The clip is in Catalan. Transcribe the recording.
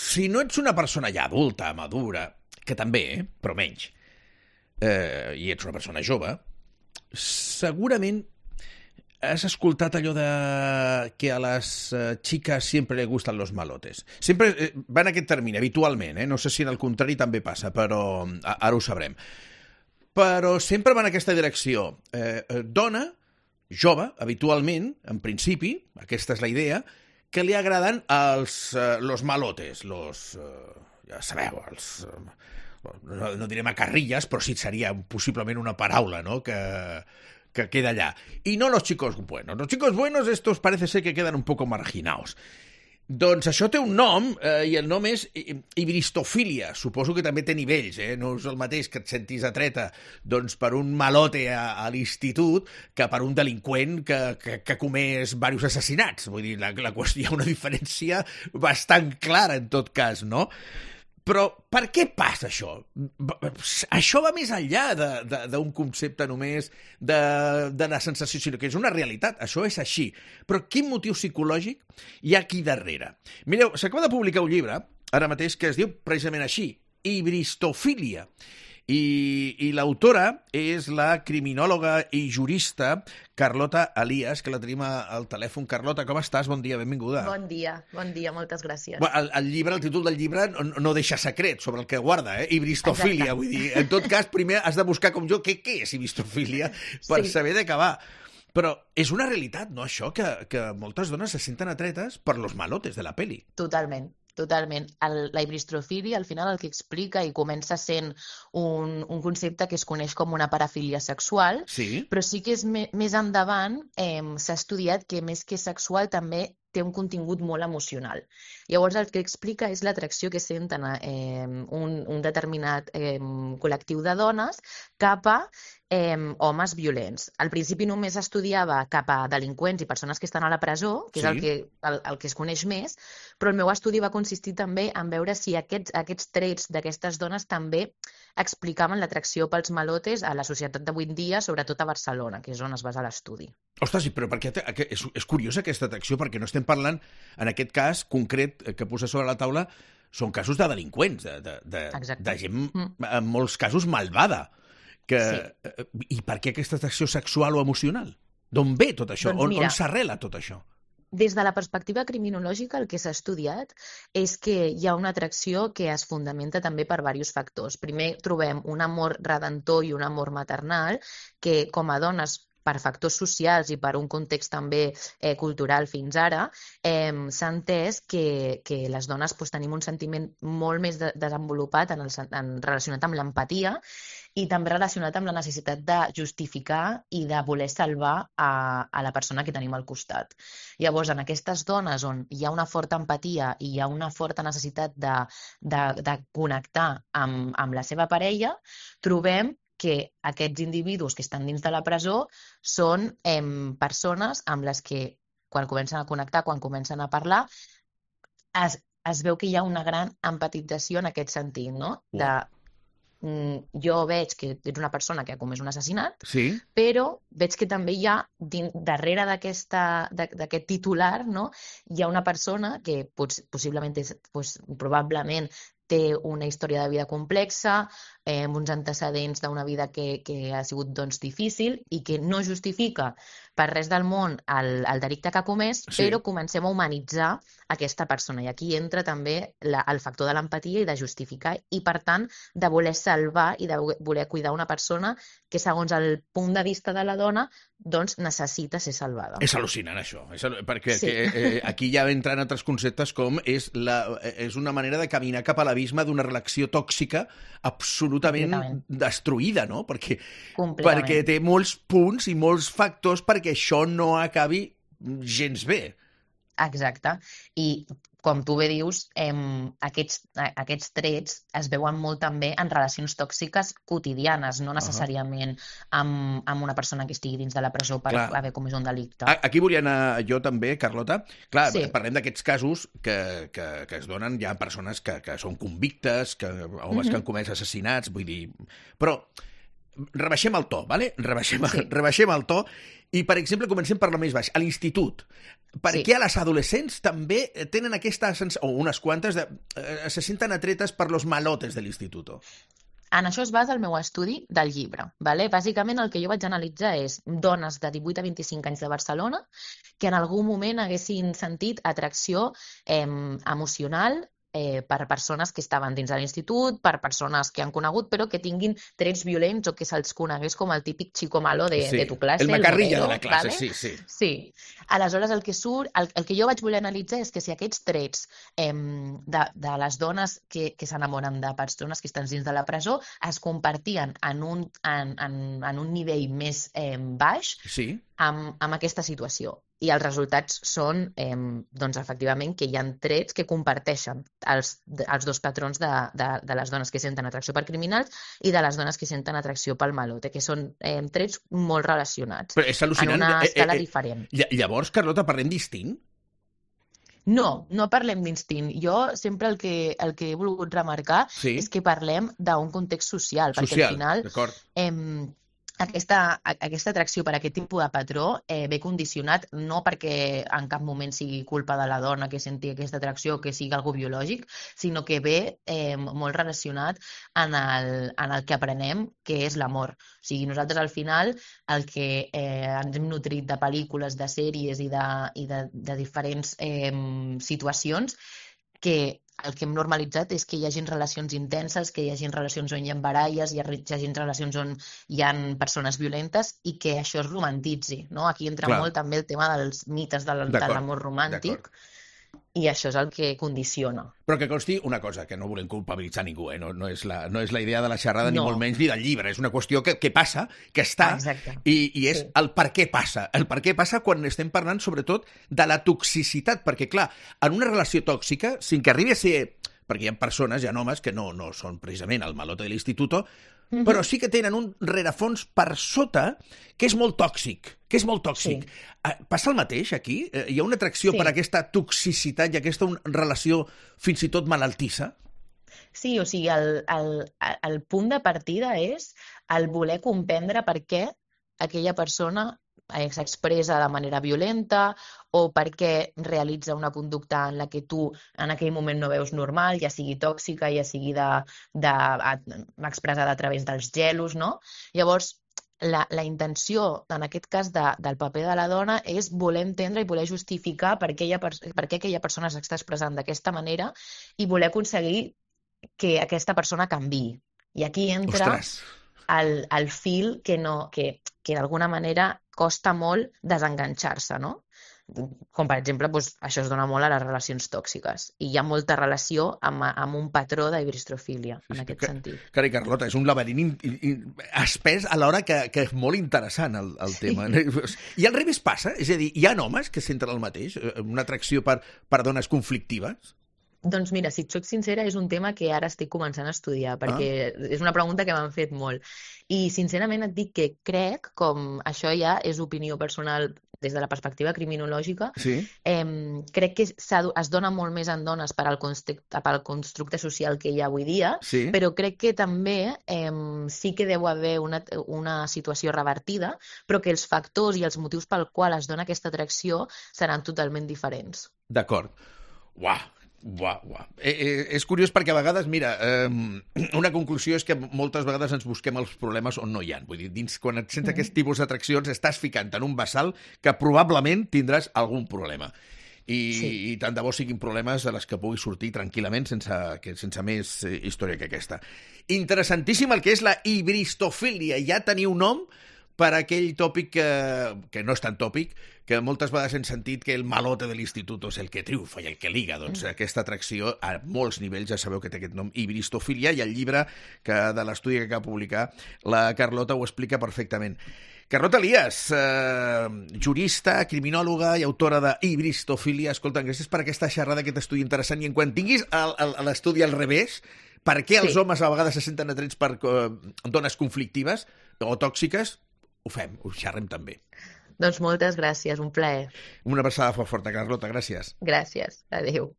si no ets una persona ja adulta, madura, que també, però menys, i ets una persona jove, segurament has escoltat allò de que a les chicas siempre le gustan los malotes. Sempre va en aquest termini, habitualment, no sé si en el contrari també passa, però ara ho sabrem. Però sempre va en aquesta direcció. Dona, jove, habitualment, en principi, aquesta és la idea, que li agraden los malotes, ja sabeu, no diré macarrillas, però sí seria possiblement una paraula, no?, que queda allà. Y no los chicos buenos. Los chicos buenos, estos parece ser que quedan un poco marginados. Doncs això té un nom, i el nom és ibristofília. Suposo que també té nivells, no és el mateix que et sentis atreta doncs, per un malote a l'institut que per un delinqüent que ha comès diversos assassinats. Vull dir, la qüestió, hi ha una diferència bastant clara en tot cas, no? Però per què passa això? Això va més enllà d'un concepte només de la sensació, sinó que és una realitat. Això és així. Però quin motiu psicològic hi ha aquí darrere? Mireu, s'acaba de publicar un llibre, ara mateix, que es diu precisament així, Ibristofília. I l'autora és la criminòloga i jurista Carlota Elias, que la tenim al telèfon. Carlota, com estàs? Bon dia, benvinguda. Bon dia, moltes gràcies. El títol del llibre no deixa secret sobre el que guarda, Ibristofília. Vull dir, en tot cas, primer has de buscar com jo què és ibristofília per saber de què va. Però és una realitat, no, això, que moltes dones se senten atretes per los malotes de la peli. Totalment. La ibristofília, al final, el que explica i comença sent un concepte que es coneix com una parafília sexual, sí, però sí que és més endavant s'ha estudiat que més que sexual també té un contingut molt emocional. Llavors el que explica és l'atracció que senten un determinat col·lectiu de dones cap a homes violents. Al principi només estudiava cap a delinqüents i persones que estan a la presó, que és el que es coneix més, però el meu estudi va consistir també en veure si aquests trets d'aquestes dones també explicaven l'atracció pels malotes a la societat d'avui en dia, sobretot a Barcelona, que és on es basa l'estudi. Ostres, sí, però perquè és curiosa aquesta atracció, perquè no estem parlant, en aquest cas concret que posa sobre la taula, són casos de delinqüents, de gent, en molts casos, malvada. I per què aquesta atracció sexual o emocional? D'on ve tot això? On s'arrela tot això? Des de la perspectiva criminològica, el que s'ha estudiat és que hi ha una atracció que es fundamenta també per diversos factors. Primer, trobem un amor redentor i un amor maternal que, com a dones, per factors socials i per un context també cultural fins ara, s'ha entès que les dones tenim un sentiment molt més desenvolupat relacionat amb l'empatia i també relacionat amb la necessitat de justificar i de voler salvar a la persona que tenim al costat. Llavors, en aquestes dones on hi ha una forta empatia i hi ha una forta necessitat de connectar amb la seva parella, trobem que aquests individus que estan dins de la presó són persones amb les que, quan comencen a connectar, quan comencen a parlar, es veu que hi ha una gran empatització en aquest sentit, no? Jo veig que ets una persona que ha comès un assassinat, però veig que també hi ha, darrere d'aquest titular, no? Hi ha una persona que possiblement, probablement, té una història de vida complexa, amb uns antecedents d'una vida que ha sigut difícil i que no justifica per res del món el delicte que ha comès, però comencem a humanitzar aquesta persona. I aquí entra també el factor de l'empatia i de justificar i, per tant, de voler salvar i de voler cuidar una persona que, segons el punt de vista de la dona, doncs necessita ser salvada. És al·lucinant, això, perquè aquí ja entren altres conceptes com és una manera de caminar cap a l'abisme d'una relació tòxica absolutament destruïda, no? Perquè té molts punts i molts factors perquè això no acabi gens bé. Exacte. I, com tu bé dius, aquests trets es veuen molt també en relacions tòxiques quotidianes, no necessàriament amb una persona que estigui dins de la presó per haver comès un delicte. Aquí volia anar jo també, Carlota. Clar, parlem d'aquests casos que es donen, hi ha persones que són convictes, homes que han comès assassinats, vull dir... Però rebaixem el to, ¿vale? Rebaixem el to I, per exemple, comencem per la més baixa, a l'institut. Per què a les adolescents també tenen aquesta sensació, o unes quantes, se senten atretes per los malotes de l'institut? En això es basa el meu estudi del llibre. Vale? Bàsicament el que jo vaig analitzar és dones de 18 a 25 anys de Barcelona que en algun moment haguessin sentit atracció emocional per persones que estaven dins de l'institut, per persones que han conegut, però que tinguin trets violents o que se'ls conegués com el típic chico malo de tu classe. El macarrilla de la classe, ¿vale? Sí. Aleshores, el que surt, el que jo vaig voler analitzar és que si aquests trets de les dones que s'enamoren de persones que estan dins de la presó es compartien en un nivell més baix amb aquesta situació. I els resultats són, doncs, efectivament, que hi ha trets que comparteixen els dos patrons de les dones que senten atracció per criminals i de les dones que senten atracció pel malote, que són trets molt relacionats. Però és al·lucinant. En una escala diferent. Llavors, Carlota, parlem d'instint? No parlem d'instint. Jo sempre el que he volgut remarcar és que parlem d'un context social, perquè al final aquesta atracció per aquest tipus de patró ve condicionat no perquè en cap moment sigui culpa de la dona que senti aquesta atracció o que sigui algo biològic, sinó que ve molt relacionat en el que aprenem, que és l'amor. O sigui, nosaltres al final el que ens hem nutrit de pel·lícules, de sèries i de diferents situacions que el que hem normalitzat és que hi hagin relacions intenses, que hi hagin relacions on hi ha baralles, hi hagin relacions on hi ha persones violentes i que això es romantitzi. No? Aquí entra molt també el tema dels mites de l'amor romàntic i això és el que condiciona. Però que consti una cosa, que no volem culpabilitzar ningú, no és la idea de la xerrada ni molt menys ni del llibre, és una qüestió que passa, que està, i és el per què passa. El per què passa quan estem parlant sobretot de la toxicitat, perquè clar, en una relació tòxica, sin que arribi a ser... perquè hi ha persones, hi ha homes que no són precisament el malote de l'institut, però sí que tenen un rerefons per sota que és molt tòxic, Passa el mateix aquí? Hi ha una atracció per aquesta toxicitat i aquesta relació fins i tot malaltissa? Sí, o sigui, el punt de partida és el voler comprendre per què aquella persona s'expressa de manera violenta o perquè realitza una conducta en la que tu en aquell moment no veus normal, ja sigui tòxica, ja sigui expressada a través dels gelos, no? Llavors, la intenció, en aquest cas, del paper de la dona és voler entendre i voler justificar per què aquella persona s'està expressant d'aquesta manera i voler aconseguir que aquesta persona canviï. I aquí entra el fil que d'alguna manera costa molt desenganxar-se, no? Com, per exemple, això es dona molt a les relacions tòxiques. I hi ha molta relació amb un patró d'hibristrofília, en aquest sentit. Carai, Carlota, és un laberint espès alhora que és molt interessant el tema. I al revés passa? És a dir, hi ha homes que senten el mateix? Una atracció per dones conflictives? Doncs mira, si et soc sincera, és un tema que ara estic començant a estudiar, perquè és una pregunta que m'han fet molt. I sincerament et dic que crec, com això ja és opinió personal des de la perspectiva criminològica, crec que es dona molt més en dones pel constructe social que hi ha avui dia, però crec que també sí que deu haver una situació revertida, però que els factors i els motius pel qual es dona aquesta atracció seran totalment diferents. D'acord. Uau! És curiós perquè a vegades, mira, una conclusió és que moltes vegades ens busquem els problemes on no hi ha. Vull dir, quan et sents aquest tipus d'atraccions estàs ficant en un bassal que probablement tindràs algun problema. I tant de bo siguin problemes de les que puguis sortir tranquil·lament sense més història que aquesta. Interessantíssim el que és la hibristofília. Ja teniu nom per aquell tòpic que no és tan tòpic, que moltes vegades hem sentit que el malote de l'institut és el que triomfa i el que liga. Doncs aquesta atracció a molts nivells, ja sabeu que té aquest nom, hibristofília, i el llibre de l'estudi que acaba de publicar la Carlota ho explica perfectament. Carlota Elias, jurista, criminòloga i autora de Hibristofília. Escolta, gràcies per aquesta xerrada, aquest estudi interessant, i en quan tinguis l'estudi al revés, per què els homes a vegades se senten atrets per dones conflictives o tòxiques, ho fem, ho xerrem també. Doncs moltes gràcies, un plaer. Una abraçada forta, Carlota, gràcies. Gràcies, adéu.